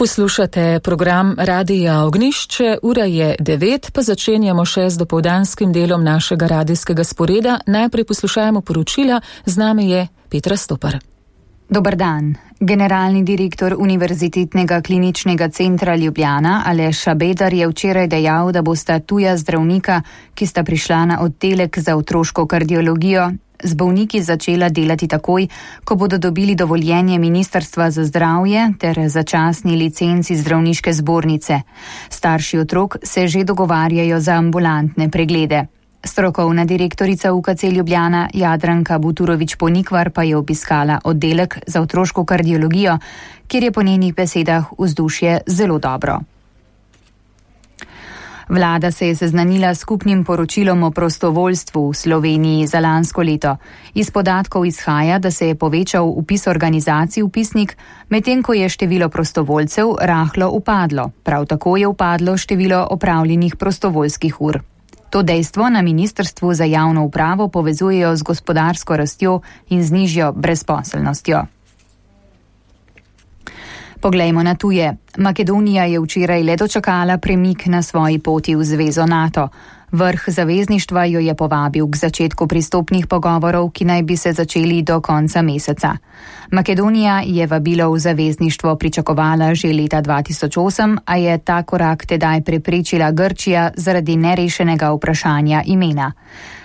Poslušate program Radija Ognjišče, ura je 9, pa začenjamo še z dopoldanskim delom našega radijskega sporeda. Najprej poslušajmo poročila, z nami je Petra Stopar. Dobar dan. Generalni direktor Univerzitetnega kliničnega centra Ljubljana Aleš Šabeder je včeraj dejal, da bosta tuja zdravnika, ki sta prišla na oddelek za otroško kardiologijo, z bolniki začela delati takoj, ko bodo dobili dovoljenje Ministrstva za zdravje ter začasni licenci zdravniške zbornice. Starši otrok se že dogovarjajo za ambulantne preglede. Strokovna direktorica UKC Ljubljana Jadranka Buturović-Ponikvar pa je obiskala oddelek za otroško kardiologijo, kjer je po njenih besedah vzdušje zelo dobro. Vlada se je seznanila s skupnim poročilom o prostovoljstvu v Sloveniji za lansko leto. Iz podatkov izhaja, da se je povečal vpis organizacij v vpisnik, medtem ko je število prostovoljcev rahlo upadlo. Prav tako je upadlo število opravljenih prostovoljskih ur. To dejstvo na Ministrstvu za javno upravo povezujejo z gospodarsko rastjo in z nižjo brezposelnostjo. Poglejmo na tuje. Makedonija je včeraj le dočakala premik na svoji poti v zvezo NATO. Vrh zavezništva jo je povabil k začetku pristopnih pogovorov, ki naj bi se začeli do konca meseca. Makedonija je vabilo v zavezništvo pričakovala že leta 2008, a je ta korak tedaj preprečila Grčija zaradi nerešenega vprašanja imena.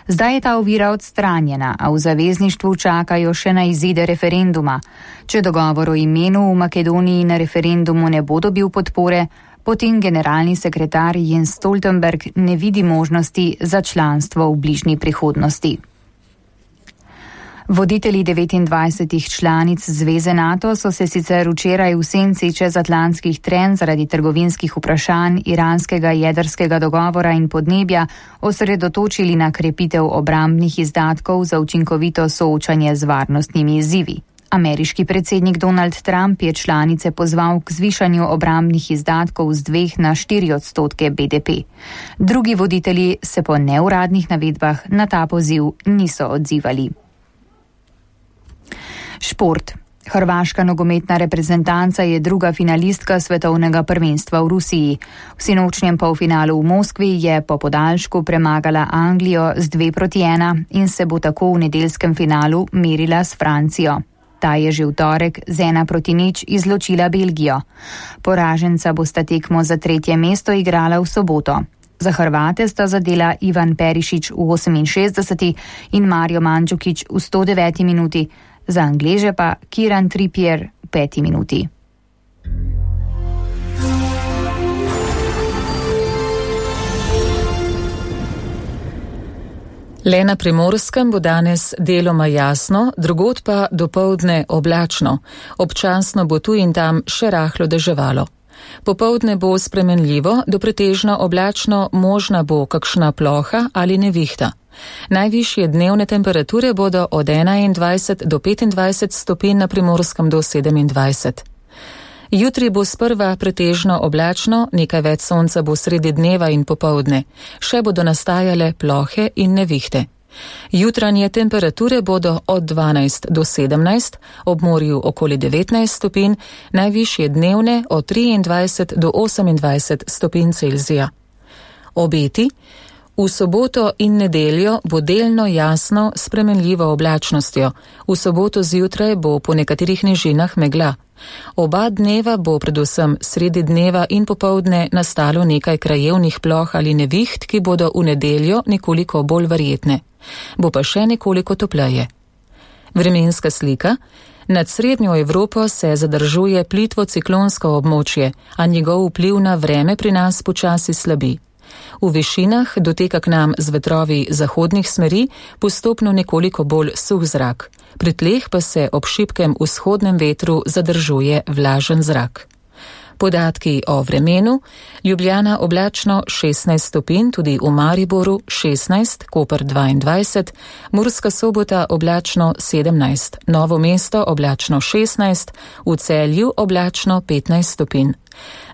Zdaj je ta ovira odstranjena, a v zavezništvu čakajo še na izide referenduma. Če dogovor o imenu v Makedoniji na referendumu ne bo dobil podpore, potem generalni sekretar Jens Stoltenberg ne vidi možnosti za članstvo v bližnji prihodnosti. Voditelji 29 članic Zveze NATO so se sicer včeraj v senci čezatlantskih trenj zaradi trgovinskih vprašanj, iranskega jedrskega dogovora in podnebja osredotočili na krepitev obrambnih izdatkov za učinkovito soočanje z varnostnimi izzivi. Ameriški predsednik Donald Trump je članice pozval k zvišanju obrambnih izdatkov z 2 na 4% BDP. Drugi voditelji se po neuradnih navedbah na ta poziv niso odzivali. Šport. Hrvaška nogometna reprezentanca je druga finalistka svetovnega prvenstva v Rusiji. V sinočnjem polfinalu v Moskvi je po podaljšku premagala Anglijo z 2-1 in se bo tako v nedeljskem finalu merila s Francijo. Ta je že v torek z 1-0 izločila Belgijo. Poraženca bosta tekmo za 3. mesto igrala v soboto. Za Hrvate sta zadela Ivan Perišić v 68. in Mario Mandžukić v 109. minuti, za Angleže pa Kieran Trippier v 5. minuti. Le na Primorskem bo danes deloma jasno, drugod pa dopoldne oblačno. Občasno bo tu in tam še rahlo deževalo. Popoldne bo spremenljivo, do pretežno oblačno, možna bo kakšna ploha ali nevihta. Najvišje dnevne temperature bodo od 21 do 25 stopinj na Primorskem do 27. Jutri bo sprva pretežno oblačno, nekaj več sonca bo sredi dneva in popoldne. Še bodo nastajale plohe in nevihte. Jutranje temperature bodo od 12 do 17, ob morju okoli 19 stopinj, najvišje dnevne od 23 do 28 stopinj Celzija. Obeti. V soboto in nedeljo bo delno jasno s spremenljivo oblačnostjo. V soboto zjutraj bo po nekaterih nižinah megla. Oba dneva bo predvsem sredi dneva in popoldne nastalo nekaj krajevnih ploh ali neviht, ki bodo v nedeljo nekoliko bolj verjetne. Bo pa še nekoliko topleje. Vremenska slika. Nad srednjo Evropo se zadržuje plitvo ciklonsko območje, a njegov vpliv na vreme pri nas počasi slabi. V višinah doteka k nam z vetrovi zahodnih smeri postopno nekoliko bolj suh zrak. Pri tleh pa se ob šibkem vzhodnem vetru zadržuje vlažen zrak. Podatki o vremenu. Ljubljana oblačno 16 stopinj, tudi v Mariboru 16, Koper 22, Murska Sobota oblačno 17, Novo mesto oblačno 16, v Celju oblačno 15 stopinj.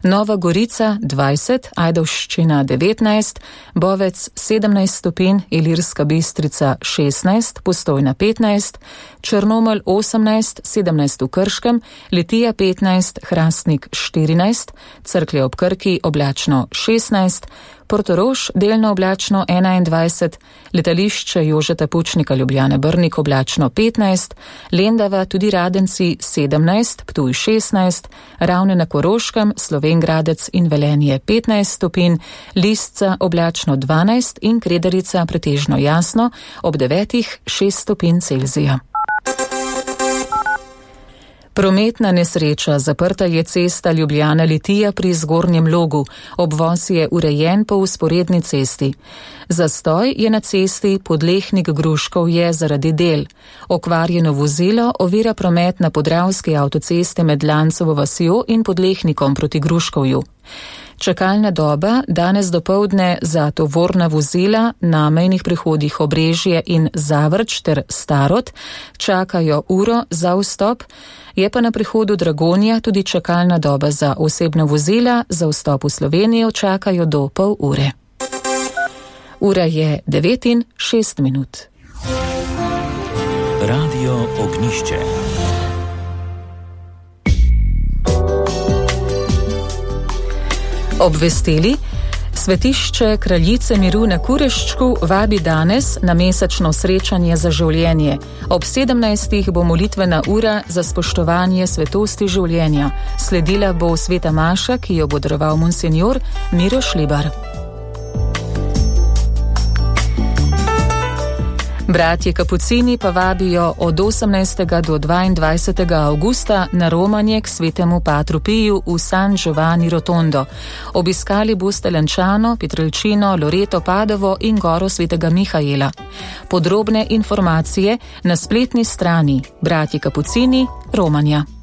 Nova Gorica 20, Ajdovščina 19, Bovec 17 stopinj, Ilirska Bistrica 16, Postojna 15, Črnomelj 18, 17 v Krškem, Litija 15, Hrastnik 14, Cerklje ob Krki oblačno 16, Portorož delno oblačno 21, letališče Jožeta Pučnika Ljubljane Brnik oblačno 15, Lendava tudi Radenci 17, Ptuj 16, Ravne na Koroškem, Slovenj Gradec in Velenje 15 stopinj, Lisca oblačno 12 in Kredarica pretežno jasno, ob 9 6 stopinj Celzija. Prometna nesreča, zaprta je cesta Ljubljana-Litija pri Zgornjem Logu, obvoz je urejen po vzporedni cesti. Zastoj je na cesti Podlehnik-Gruškov je zaradi del. Okvarjeno vozilo ovira promet na Podravski avtocesti med Lancovo vasjo in Podlehnikom proti Gruškovju. Čakalna doba danes dopoldne za tovorna vozila na mejnih prehodih Obrežje in Zavrč ter Starod čakajo uro za vstop, je pa na prehodu Dragonja tudi čakalna doba za osebna vozila, za vstop v Slovenijo čakajo do pol ure. Ura je 9:06. Radio Ognjišče. Obvestili, Svetišče Kraljice miru na Kureščku vabi danes na mesečno srečanje za življenje. Ob 17. bo molitvena ura za spoštovanje svetosti življenja. Sledila bo sveta maša, ki jo bo daroval monsenjor Miro Šlibar. Bratje Kapucini pa vabijo od 18. do 22. avgusta na romanje k svetemu Patru Piju v San Giovanni Rotondo. Obiskali boste Lanciano, Pietrelcino, Loreto, Padovo in goro svetega Mihaela. Podrobne informacije na spletni strani Bratje Kapucini Romanja.